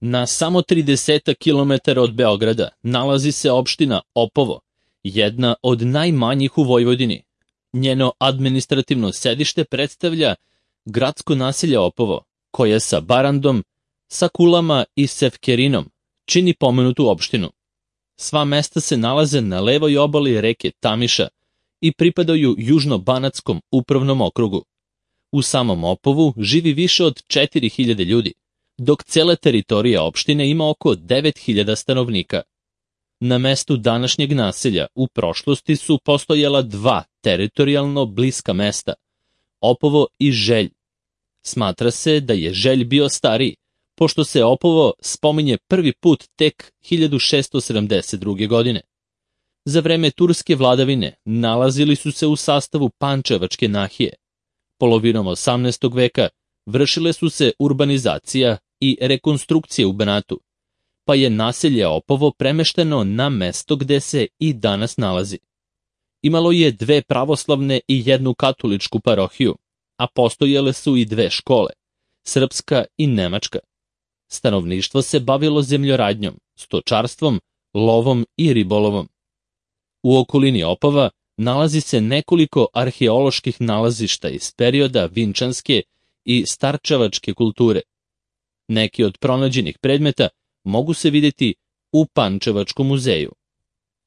Na samo 30 km od Beograda nalazi se opština Opovo, jedna od najmanjih u Vojvodini. Njeno administrativno sedište predstavlja gradsko naselje Opovo, koje sa Barandom, sa Kulama i Sefkerinom čini pomenutu opštinu. Sva mesta se nalaze na levoj obali reke Tamiša i pripadaju Južno-Banatskom upravnom okrugu. U samom Opovu živi više od 4000 ljudi, dok cela teritorija opštine ima oko 9000 stanovnika. Na mestu današnjeg naselja u prošlosti su postojala dva teritorijalno bliska mesta, Opovo i Želj. Smatra se da je Želj bio stariji, pošto se Opovo spominje prvi put tek 1672. godine. Za vreme turske vladavine nalazili su se u sastavu Pančevačke nahije. Polovinom 18. veka vršile su se urbanizacija i rekonstrukcije u Banatu, pa je naselje Opovo premešteno na mesto gde se i danas nalazi. Imalo je dve pravoslavne i jednu katoličku parohiju, a postojale su i dve škole, srpska i nemačka. Stanovništvo se bavilo zemljoradnjom, stočarstvom, lovom i ribolovom. U okolini Opova nalazi se nekoliko arheoloških nalazišta iz perioda vinčanske i starčevačke kulture. Neki od pronađenih predmeta mogu se vidjeti u Pančevačkom muzeju.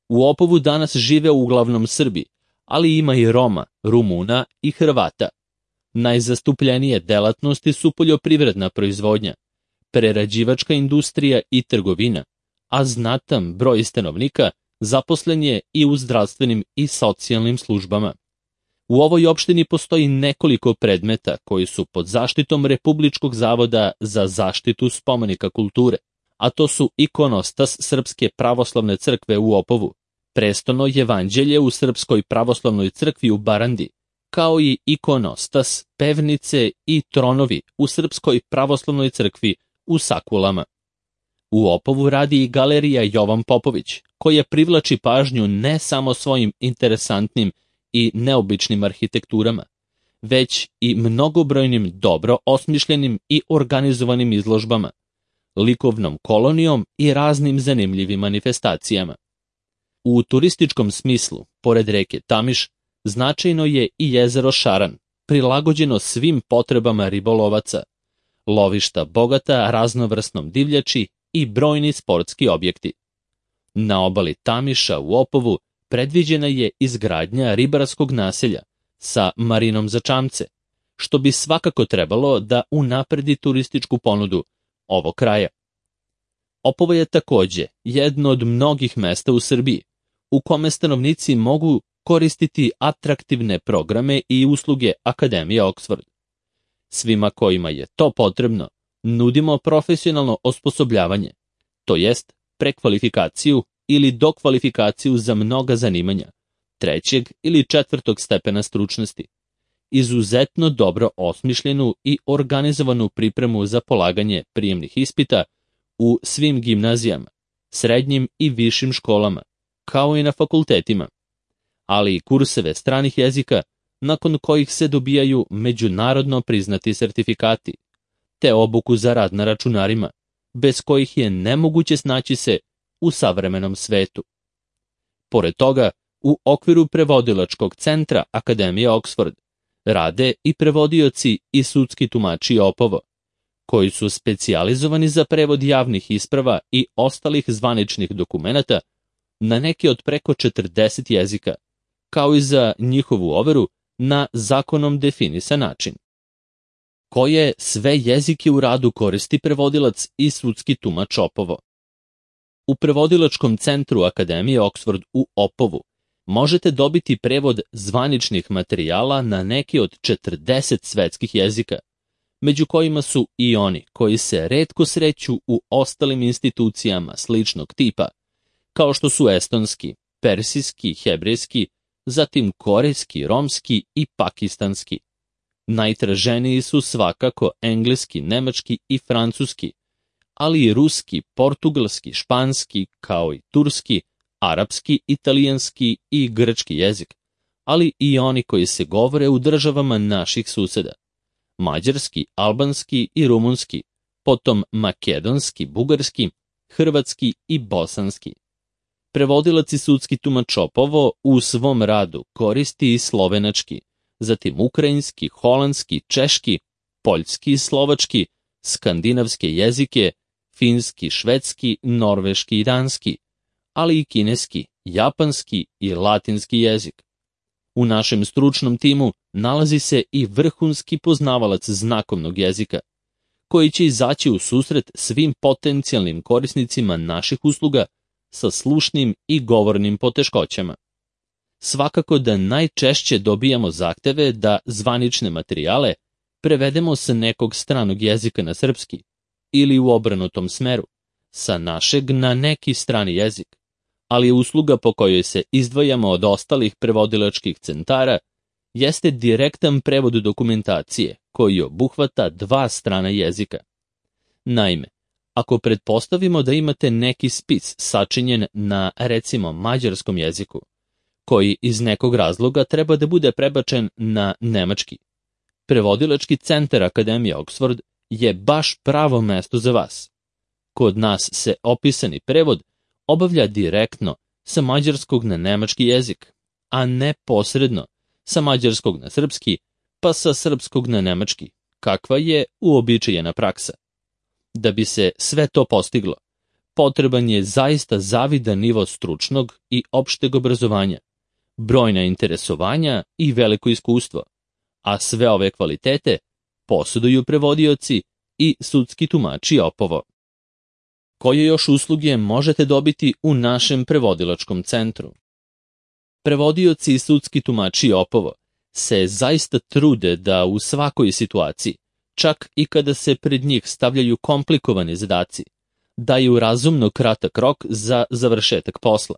U Opovu danas žive uglavnom Srbi, ali ima i Roma, Rumuna i Hrvata. Najzastupljenije delatnosti su poljoprivredna proizvodnja, prerađivačka industrija i trgovina, a znatan broj stanovnika zaposlen je i u zdravstvenim i socijalnim službama. U ovoj opštini postoji nekoliko predmeta koji su pod zaštitom Republičkog zavoda za zaštitu spomenika kulture, a to su ikonostas Srpske pravoslavne crkve u Opovu, prestono jevanđelje u Srpskoj pravoslavnoj crkvi u Barandi, kao i ikonostas, pevnice i tronovi u Srpskoj pravoslavnoj crkvi u Sakulama. U Opovu radi i galerija Jovan Popović, koja privlači pažnju ne samo svojim interesantnim i neobičnim arhitekturama, već i mnogobrojnim dobro osmišljenim i organizovanim izložbama, likovnom kolonijom i raznim zanimljivim manifestacijama. U turističkom smislu, pored reke Tamiš, značajno je i jezero Šaran, prilagođeno svim potrebama ribolovaca, lovišta bogata raznovrsnom divljači i brojni sportski objekti. Na obali Tamiša u Opovu predviđena je izgradnja ribarskog naselja sa marinom za čamce, što bi svakako trebalo da unapredi turističku ponudu ovog kraja. Opovo je takođe jedno od mnogih mesta u Srbiji u kome stanovnici mogu koristiti atraktivne programe i usluge Akademije Oxford. Svima kojima je to potrebno, nudimo profesionalno osposobljavanje, to jest prekvalifikaciju ili dokvalifikaciju za mnoga zanimanja, 3. ili 4. stepena stručnosti, izuzetno dobro osmišljenu i organizovanu pripremu za polaganje prijemnih ispita u svim gimnazijama, srednjim i višim školama, kao i na fakultetima, ali i kurseve stranih jezika nakon kojih se dobijaju međunarodno priznati sertifikati, te obuku za rad na računarima, bez kojih je nemoguće snaći se u savremenom svetu. Pored toga, u okviru prevodilačkog centra Akademije Oxford rade i prevodioci i sudski tumači Opovo, koji su specijalizovani za prevod javnih isprava i ostalih zvaničnih dokumenata na neki od preko 40 jezika, kao i za njihovu overu na zakonom definisan način. Koje sve jezike u radu koristi prevodilac i sudski tumač Opovo? U prevodilačkom centru Akademije Oxford u Opovu možete dobiti prevod zvaničnih materijala na neki od 40 svetskih jezika, među kojima su i oni koji se retko sreću u ostalim institucijama sličnog tipa, kao što su estonski, persijski, hebrejski, zatim korejski, romski i pakistanski. Najtraženiji su svakako engleski, nemački i francuski, ali i ruski, portugalski, španski, kao i turski, arapski, italijanski i grčki jezik, ali i oni koji se govore u državama naših suseda. Mađarski, albanski i rumunski, potom makedonski, bugarski, hrvatski i bosanski. Prevodilac i sudski tumač Opovo u svom radu koristi i slovenački, zatim ukrajinski, holandski, češki, poljski i slovački, skandinavske jezike, finski, švedski, norveški i danski, ali i kineski, japanski i latinski jezik. U našem stručnom timu nalazi se i vrhunski poznavalac znakovnog jezika, koji će izaći u susret svim potencijalnim korisnicima naših usluga sa slušnim i govornim poteškoćama. Svakako da najčešće dobijamo zahteve da zvanične materijale prevedemo sa nekog stranog jezika na srpski ili u obrnutom smeru, sa našeg na neki strani jezik, ali usluga po kojoj se izdvajamo od ostalih prevodilačkih centara jeste direktan prevod dokumentacije koji obuhvata dva strana jezika. Naime, ako pretpostavimo da imate neki spis sačinjen na, recimo, mađarskom jeziku, koji iz nekog razloga treba da bude prebačen na nemački, prevodilački centar Akademije Oxford je baš pravo mesto za vas. Kod nas se opisani prevod obavlja direktno sa mađarskog na nemački jezik, a ne posredno sa mađarskog na srpski, pa sa srpskog na nemački, kakva je uobičajena praksa. Da bi se sve to postiglo, potreban je zaista zavidan nivo stručnog i opšteg obrazovanja, brojna interesovanja i veliko iskustvo, a sve ove kvalitete poseduju prevodioci i sudski tumači Opovo. Koje još usluge možete dobiti u našem prevodilačkom centru? Prevodioci i sudski tumači Opovo se zaista trude da u svakoj situaciji, čak i kada se pred njih stavljaju komplikovani zadaci, daju razumno kratak rok za završetak posla.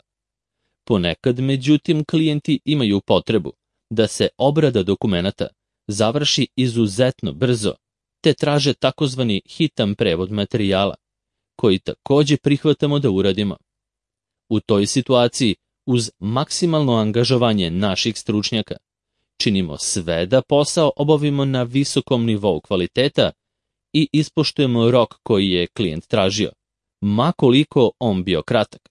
Ponekad, međutim, klijenti imaju potrebu da se obrada dokumenata završi izuzetno brzo, te traže takozvani hitan prevod materijala, koji takođe prihvatamo da uradimo. U toj situaciji, uz maksimalno angažovanje naših stručnjaka, činimo sve da posao obavimo na visokom nivou kvaliteta i ispoštujemo rok koji je klijent tražio, ma koliko on bio kratak.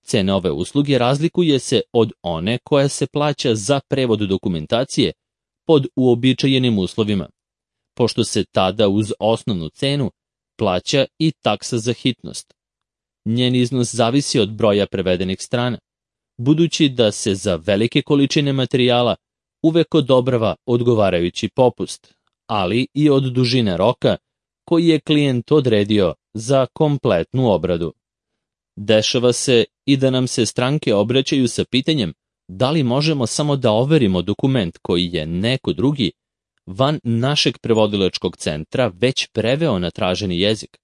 Cena ove usluge razlikuje se od one koja se plaća za prevod dokumentacije pod uobičajenim uslovima, pošto se tada uz osnovnu cenu plaća i taksa za hitnost. Njen iznos zavisi od broja prevedenih strana, budući da se za velike količine materijala uvek odobrava odgovarajući popust, ali i od dužine roka koji je klijent odredio za kompletnu obradu. Dešava se i da nam se stranke obraćaju sa pitanjem da li možemo samo da overimo dokument koji je neko drugi van našeg prevodilačkog centra već preveo na traženi jezik.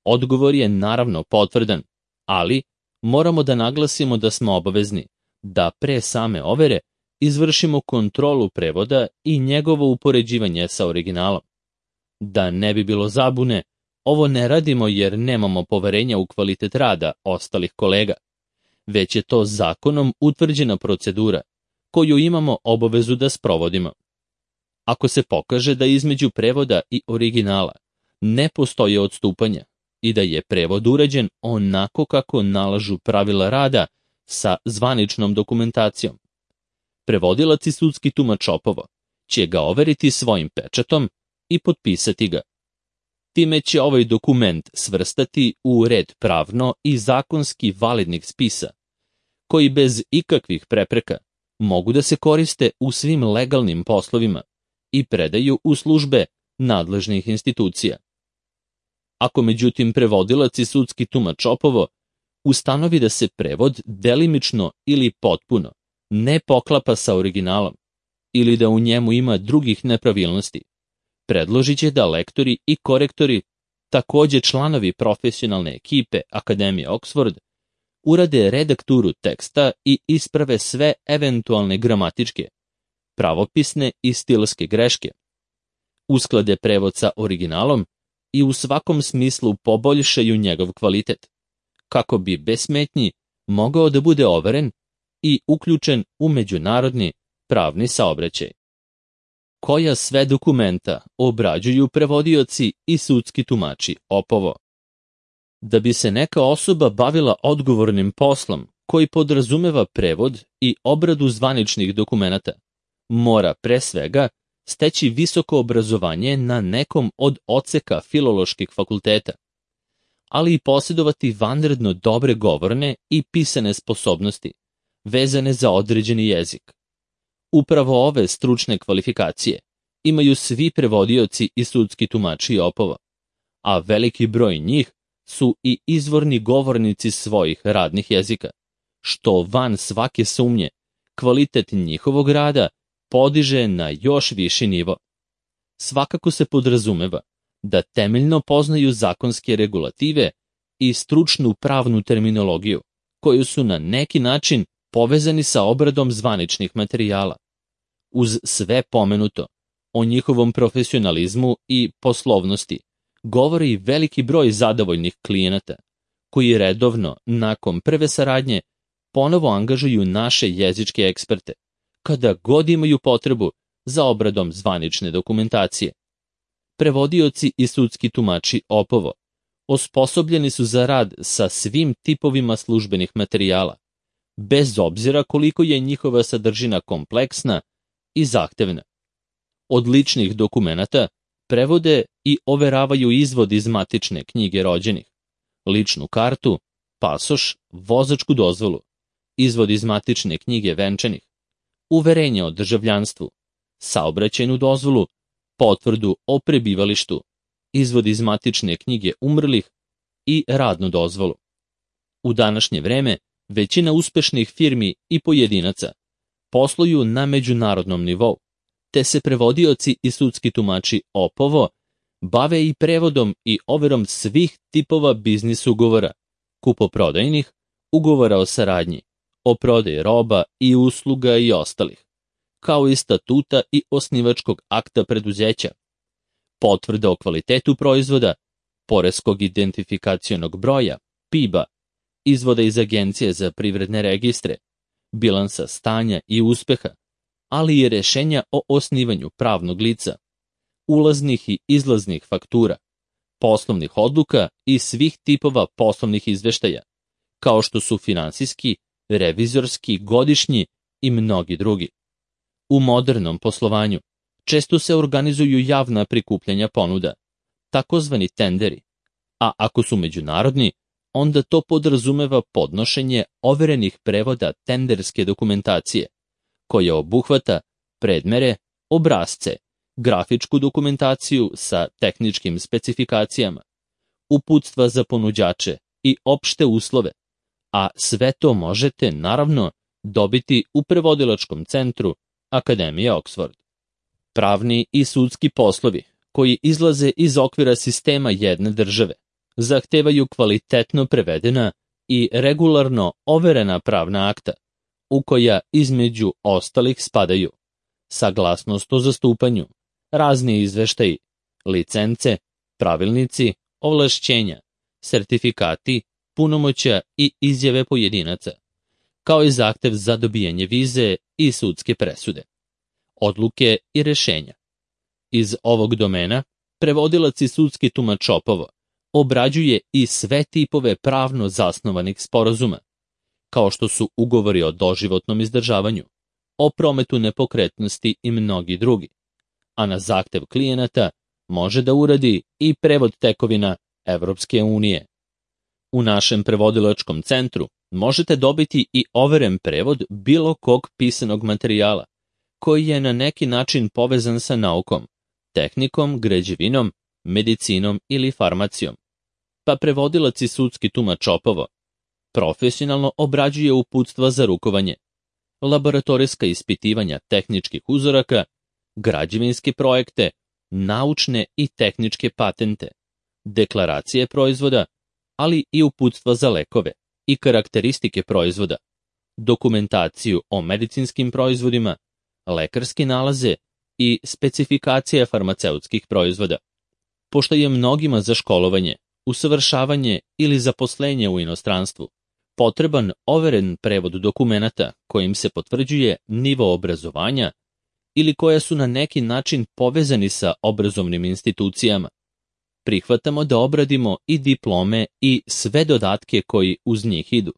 Odgovor je naravno potvrdan, ali moramo da naglasimo da smo obavezni da pre same overe izvršimo kontrolu prevoda i njegovo upoređivanje sa originalom. Da ne bi bilo zabune, ovo ne radimo jer nemamo poverenja u kvalitet rada ostalih kolega, već je to zakonom utvrđena procedura koju imamo obavezu da sprovodimo. Ako se pokaže da između prevoda i originala ne postoje odstupanja i da je prevod urađen onako kako nalažu pravila rada sa zvaničnom dokumentacijom, prevodilac i sudski tumač Opovo će ga overiti svojim pečatom i potpisati ga. Time će ovaj dokument svrstati u red pravno i zakonski validnih spisa, koji bez ikakvih prepreka mogu da se koriste u svim legalnim poslovima i predaju u službe nadležnih institucija. Ako međutim prevodilac i sudski tumač Opovo ustanovi da se prevod delimično ili potpuno ne poklapa sa originalom ili da u njemu ima drugih nepravilnosti, predložit će da lektori i korektori, takođe članovi profesionalne ekipe Akademije Oxford, urade redakturu teksta i isprave sve eventualne gramatičke, pravopisne i stilske greške, usklade prevod sa originalom i u svakom smislu poboljšaju njegov kvalitet, kako bi bez smetnji mogao da bude overen i uključen u međunarodni pravni saobraćaj. koja sve dokumenta obrađuju prevodioci i sudski tumači opovo. Da bi se neka osoba bavila odgovornim poslom koji podrazumeva prevod i obradu zvaničnih dokumenata, mora pre svega steći visoko obrazovanje na nekom od odseka filoloških fakulteta, ali i posjedovati vanredno dobre govorne i pisane sposobnosti, vezane za određeni jezik. Upravo ove stručne kvalifikacije imaju svi prevodioci i sudski tumači opova, a veliki broj njih su i izvorni govornici svojih radnih jezika, što van svake sumnje kvalitet njihovog rada podiže na još viši nivo. Svakako se podrazumeva da temeljno poznaju zakonske regulative i stručnu pravnu terminologiju, koju su na neki način povezani sa obradom zvaničnih materijala. Uz sve pomenuto, o njihovom profesionalizmu i poslovnosti govori veliki broj zadovoljnih klijenata, koji redovno, nakon prve saradnje, ponovo angažuju naše jezičke eksperte, kada god imaju potrebu za obradom zvanične dokumentacije. Prevodioci i sudski tumači opovo osposobljeni su za rad sa svim tipovima službenih materijala, bez obzira koliko je njihova sadržina kompleksna i zahtevna. Od ličnih dokumenata prevode i overavaju izvod iz matične knjige rođenih, ličnu kartu, pasoš, vozačku dozvolu, izvod iz matične knjige venčanih, uverenje o državljanstvu, saobraćajnu dozvolu, potvrdu o prebivalištu, izvod iz matične knjige umrlih i radnu dozvolu. U današnje vreme većina uspešnih firmi i pojedinaca posluju na međunarodnom nivou, te se prevodioci i sudski tumači opovo bave i prevodom i overom svih tipova biznis ugovora, kupoprodajnih, ugovora o saradnji, o prodaji roba i usluga i ostalih, kao i statuta i osnivačkog akta preduzeća, potvrda o kvalitetu proizvoda, poreskog identifikacionog broja, PIB-a, izvoda iz Agencije za privredne registre, bilansa stanja i uspeha, ali i rešenja o osnivanju pravnog lica, ulaznih i izlaznih faktura, poslovnih odluka i svih tipova poslovnih izveštaja, kao što su finansijski, revizorski, godišnji i mnogi drugi. U modernom poslovanju često se organizuju javna prikupljanja ponuda, takozvani tenderi, a ako su međunarodni, onda to podrazumeva podnošenje overenih prevoda tenderske dokumentacije, koja obuhvata predmere, obrasce, grafičku dokumentaciju sa tehničkim specifikacijama, uputstva za ponuđače i opšte uslove, a sve to možete, naravno, dobiti u prevodilačkom centru Akademije Oxford. Pravni i sudski poslovi, koji izlaze iz okvira sistema jedne države, zahtevaju kvalitetno prevedena i regularno overena pravna akta, u koja između ostalih spadaju saglasnost o zastupanju, razni izveštaji, licence, pravilnici, ovlašćenja, sertifikati, punomoćja i izjave pojedinaca, kao i zahtev za dobijanje vize i sudske presude, odluke i rešenja. Iz ovog domena prevodilac i sudski tumač opovo obrađuje i sve tipove pravno zasnovanih sporazuma, kao što su ugovori o doživotnom izdržavanju, o prometu nepokretnosti i mnogi drugi, a na zahtev klijenata može da uradi i prevod tekovina Evropske unije. U našem prevodilačkom centru možete dobiti i overen prevod bilo kog pisanog materijala, koji je na neki način povezan sa naukom, tehnikom, građevinom, medicinom ili farmacijom. Pa prevodilac i sudski tumač opovo profesionalno obrađuje uputstva za rukovanje, laboratorijska ispitivanja tehničkih uzoraka, građevinske projekte, naučne i tehničke patente, deklaracije proizvoda, ali i uputstva za lekove i karakteristike proizvoda, dokumentaciju o medicinskim proizvodima, lekarske nalaze i specifikacije farmaceutskih proizvoda. Pošto je mnogima za školovanje, usavršavanje ili zaposlenje u inostranstvu potreban overen prevod dokumenata kojim se potvrđuje nivo obrazovanja ili koja su na neki način povezani sa obrazovnim institucijama. Prihvatamo da obradimo i diplome i sve dodatke koji uz njih idu.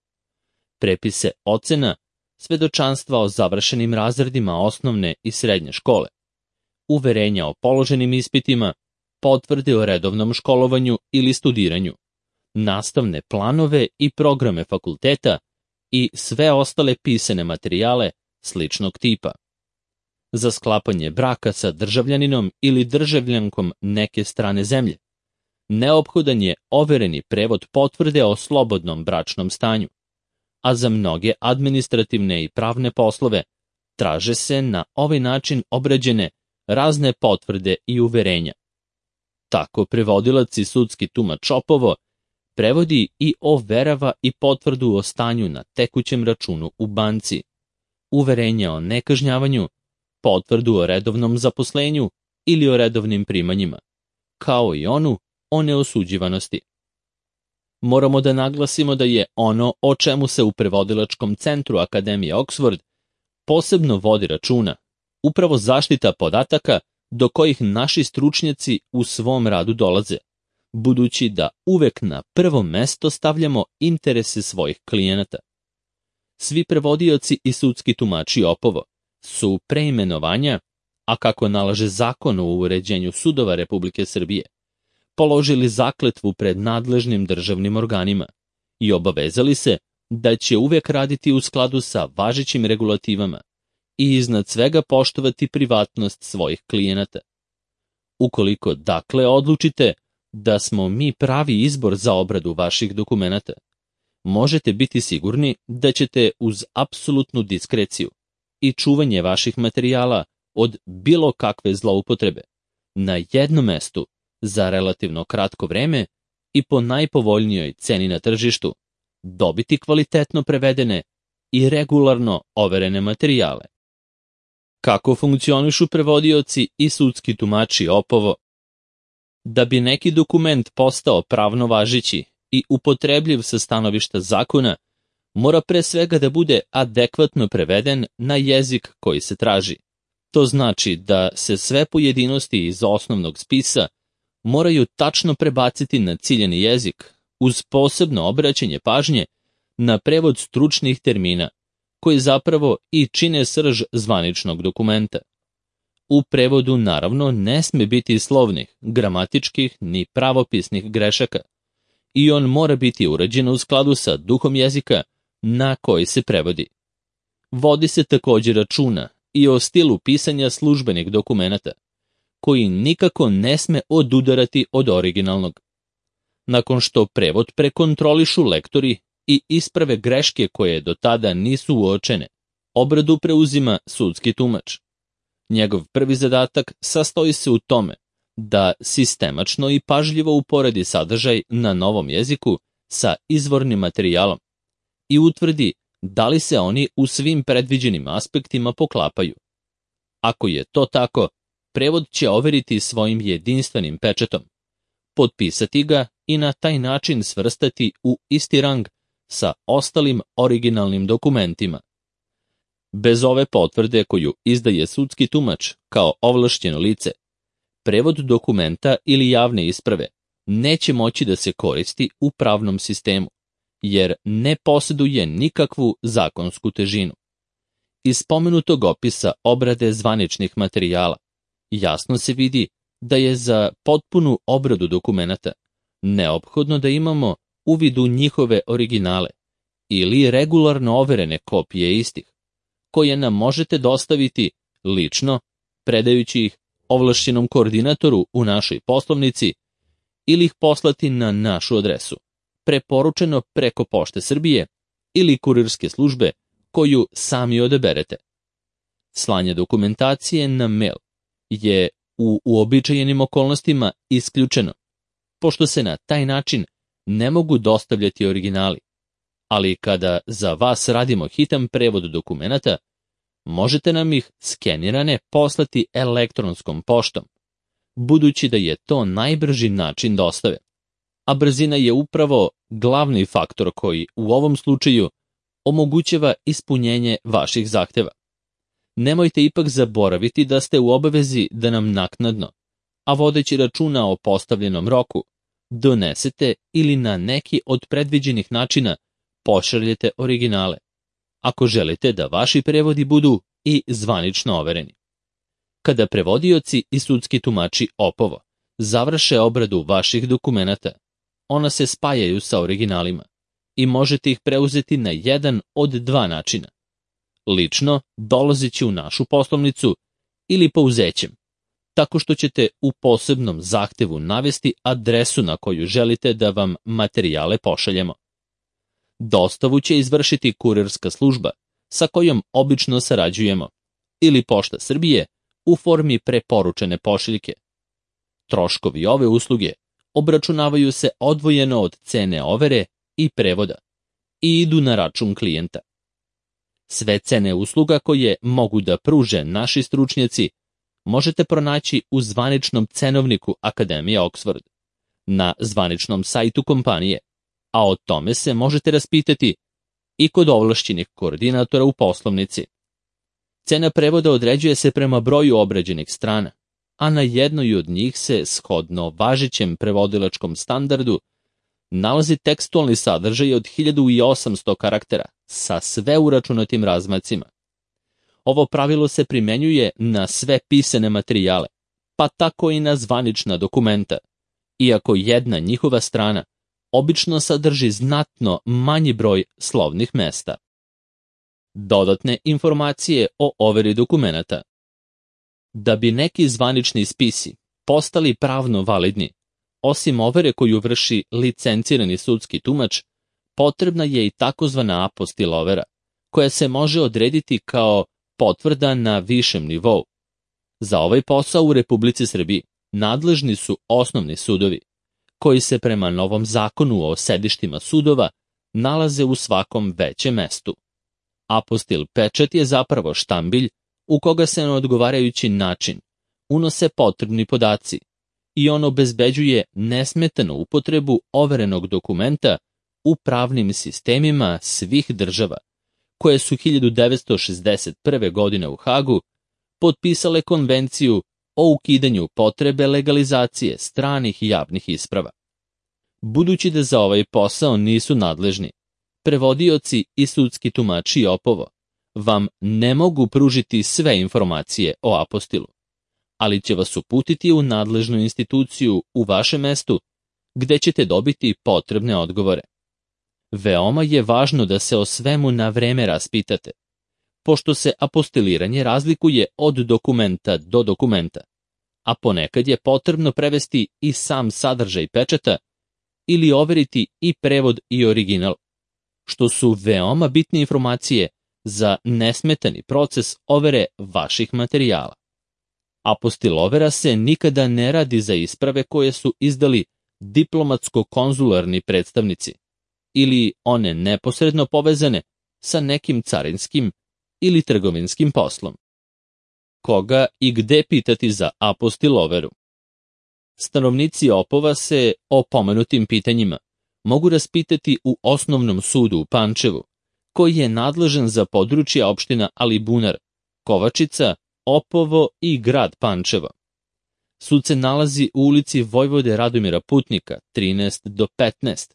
Prepise ocena, svedočanstva o završenim razredima osnovne i srednje škole, uverenja o položenim ispitima, potvrde o redovnom školovanju ili studiranju, nastavne planove i programe fakulteta i sve ostale pisane materijale sličnog tipa. Za sklapanje braka sa državljaninom ili državljankom neke strane zemlje neophodan je overeni prevod potvrde o slobodnom bračnom stanju, a za mnoge administrativne i pravne poslove traže se na ovaj način obrađene razne potvrde i uverenja. Tako prevodilac i sudski tumač Opovo prevodi i overava i potvrdu o stanju na tekućem računu u banci, uverenja o nekažnjavanju, potvrdu o redovnom zaposlenju ili o redovnim primanjima, kao i onu o neosuđivanosti. Moramo da naglasimo da je ono o čemu se u prevodilačkom centru Akademije Oxford posebno vodi računa upravo zaštita podataka do kojih naši stručnjaci u svom radu dolaze, budući da uvek na prvo mesto stavljamo interese svojih klijenata. Svi prevodioci i sudski tumači Opovo su preimenovanja, a kako nalaže Zakon o uređenju sudova Republike Srbije, položili zakletvu pred nadležnim državnim organima i obavezali se da će uvek raditi u skladu sa važećim regulativama i iznad svega poštovati privatnost svojih klijenata. Ukoliko dakle odlučite da smo mi pravi izbor za obradu vaših dokumenata, možete biti sigurni da ćete uz apsolutnu diskreciju i čuvanje vaših materijala od bilo kakve zloupotrebe na jednom mestu za relativno kratko vreme i po najpovoljnijoj ceni na tržištu dobiti kvalitetno prevedene i regularno overene materijale. Kako funkcionišu prevodioci i sudski tumači Opovo? Da bi neki dokument postao pravno važeći i upotrebljiv sa stanovišta zakona, mora pre svega da bude adekvatno preveden na jezik koji se traži. To znači da se sve pojedinosti iz osnovnog spisa moraju tačno prebaciti na ciljani jezik, uz posebno obraćanje pažnje na prevod stručnih termina, koji zapravo i čine srž zvaničnog dokumenta. U prevodu naravno ne sme biti slovnih, gramatičkih ni pravopisnih grešaka i on mora biti urađen u skladu sa duhom jezika na koji se prevodi. Vodi se također računa i o stilu pisanja službenih dokumenata, koji nikako ne sme odudarati od originalnog. Nakon što prevod prekontrolišu lektori i isprave greške koje do tada nisu uočene, obradu preuzima sudski tumač. Njegov prvi zadatak sastoji se u tome da sistemačno i pažljivo uporedi sadržaj na novom jeziku sa izvornim materijalom i utvrdi da li se oni u svim predviđenim aspektima poklapaju. Ako je to tako, prevod će overiti svojim jedinstvenim pečatom, potpisati ga i na taj način svrstati u isti rang sa ostalim originalnim dokumentima. Bez ove potvrde koju izdaje sudski tumač kao ovlašćeno lice, prevod dokumenta ili javne isprave neće moći da se koristi u pravnom sistemu, jer ne posjeduje nikakvu zakonsku težinu. Iz spomenutog opisa obrade zvaničnih materijala jasno se vidi da je za potpunu obradu dokumenata neophodno da imamo uvid u njihove originale ili regularno overene kopije istih, koje nam možete dostaviti lično, predajući ih ovlašćenom koordinatoru u našoj poslovnici ili ih poslati na našu adresu, preporučeno preko Pošte Srbije ili kurirske službe koju sami odaberete. Slanje dokumentacije na mail je u uobičajenim okolnostima isključeno, pošto se na taj način ne mogu dostavljati originali, ali kada za vas radimo hitan prevod dokumenata, možete nam ih skenirane poslati elektronskom poštom, budući da je to najbrži način dostave, a brzina je upravo glavni faktor koji u ovom slučaju omogućava ispunjenje vaših zahteva. nemojte ipak zaboraviti da ste u obavezi da nam naknadno, a vodeći računa o postavljenom roku, donesete ili na neki od predviđenih načina pošaljete originale, ako želite da vaši prevodi budu i zvanično overeni. Kada prevodioci i sudski tumači opovo završe obradu vaših dokumenata, ona se spajaju sa originalima i možete ih preuzeti na jedan od dva načina. Lično, dolazeći u našu poslovnicu ili pouzećem, tako što ćete u posebnom zahtevu navesti adresu na koju želite da vam materijale pošaljemo. Dostavu će izvršiti kurirska služba sa kojom obično sarađujemo ili Pošta Srbije u formi preporučene pošiljke. Troškovi ove usluge obračunavaju se odvojeno od cene overe i prevoda i idu na račun klijenta. Sve cene usluga koje mogu da pruže naši stručnjaci možete pronaći u zvaničnom cenovniku Akademije Oxford, na zvaničnom sajtu kompanije, a o tome se možete raspitati i kod ovlašćenih koordinatora u poslovnici. Cena prevoda određuje se prema broju obrađenih strana, a na jednoj od njih se, shodno važećem prevodilačkom standardu, nalazi tekstualni sadržaj od 1800 karaktera sa sve uračunatim razmacima. Ovo pravilo se primenjuje na sve pisane materijale, pa tako i na zvanična dokumenta, iako jedna njihova strana obično sadrži znatno manji broj slovnih mesta. Dodatne informacije o overi dokumenata. Da bi neki zvanični spisi postali pravno validni, osim overe koju vrši licencirani sudski tumač, potrebna je i takozvana apostil overa, koja se može odrediti kao potvrda na višem nivou. Za ovaj posao u Republici Srbiji nadležni su osnovni sudovi, koji se prema novom zakonu o sedištima sudova nalaze u svakom većem mestu. Apostil pečat je zapravo štambilj u koga se na odgovarajući način unose potrebni podaci i on obezbeđuje nesmetanu upotrebu overenog dokumenta u pravnim sistemima svih država, koje su 1961. godine u Hagu potpisale konvenciju o ukidanju potrebe legalizacije stranih javnih isprava. Budući da za ovaj posao nisu nadležni, prevodioci i sudski tumači opovo vam ne mogu pružiti sve informacije o apostilu, ali će vas uputiti u nadležnu instituciju u vašem mestu, gde ćete dobiti potrebne odgovore. Veoma je važno da se o svemu na vreme raspitate, pošto se apostiliranje razlikuje od dokumenta do dokumenta, a ponekad je potrebno prevesti i sam sadržaj pečata ili overiti i prevod i original, što su veoma bitne informacije za nesmetani proces overe vaših materijala. Apostil overa se nikada ne radi za isprave koje su izdali diplomatsko-konzularni predstavnici ili one neposredno povezane sa nekim carinskim ili trgovinskim poslom. Koga i gde pitati za apostil overu? Stanovnici Opova se o pomenutim pitanjima mogu raspitati u Osnovnom sudu u Pančevu, koji je nadležan za područja opština Alibunar, Kovačica, Opovo i grad Pančevo. Sud se nalazi u ulici Vojvode Radomira Putnika, 13-15,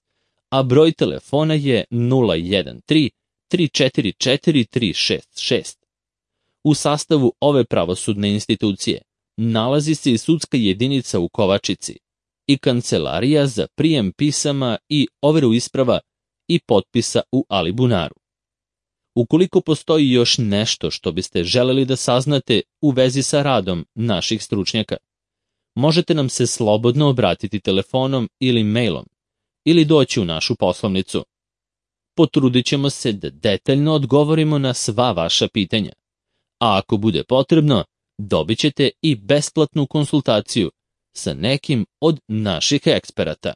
a broj telefona je 013-344-366. U sastavu ove pravosudne institucije nalazi se i sudska jedinica u Kovačici i kancelarija za prijem pisama i overu isprava i potpisa u Alibunaru. Ukoliko postoji još nešto što biste želeli da saznate u vezi sa radom naših stručnjaka, možete nam se slobodno obratiti telefonom ili mailom ili doći u našu poslovnicu. Potrudit ćemo se da detaljno odgovorimo na sva vaša pitanja, a ako bude potrebno, dobit ćete i besplatnu konsultaciju sa nekim od naših eksperata.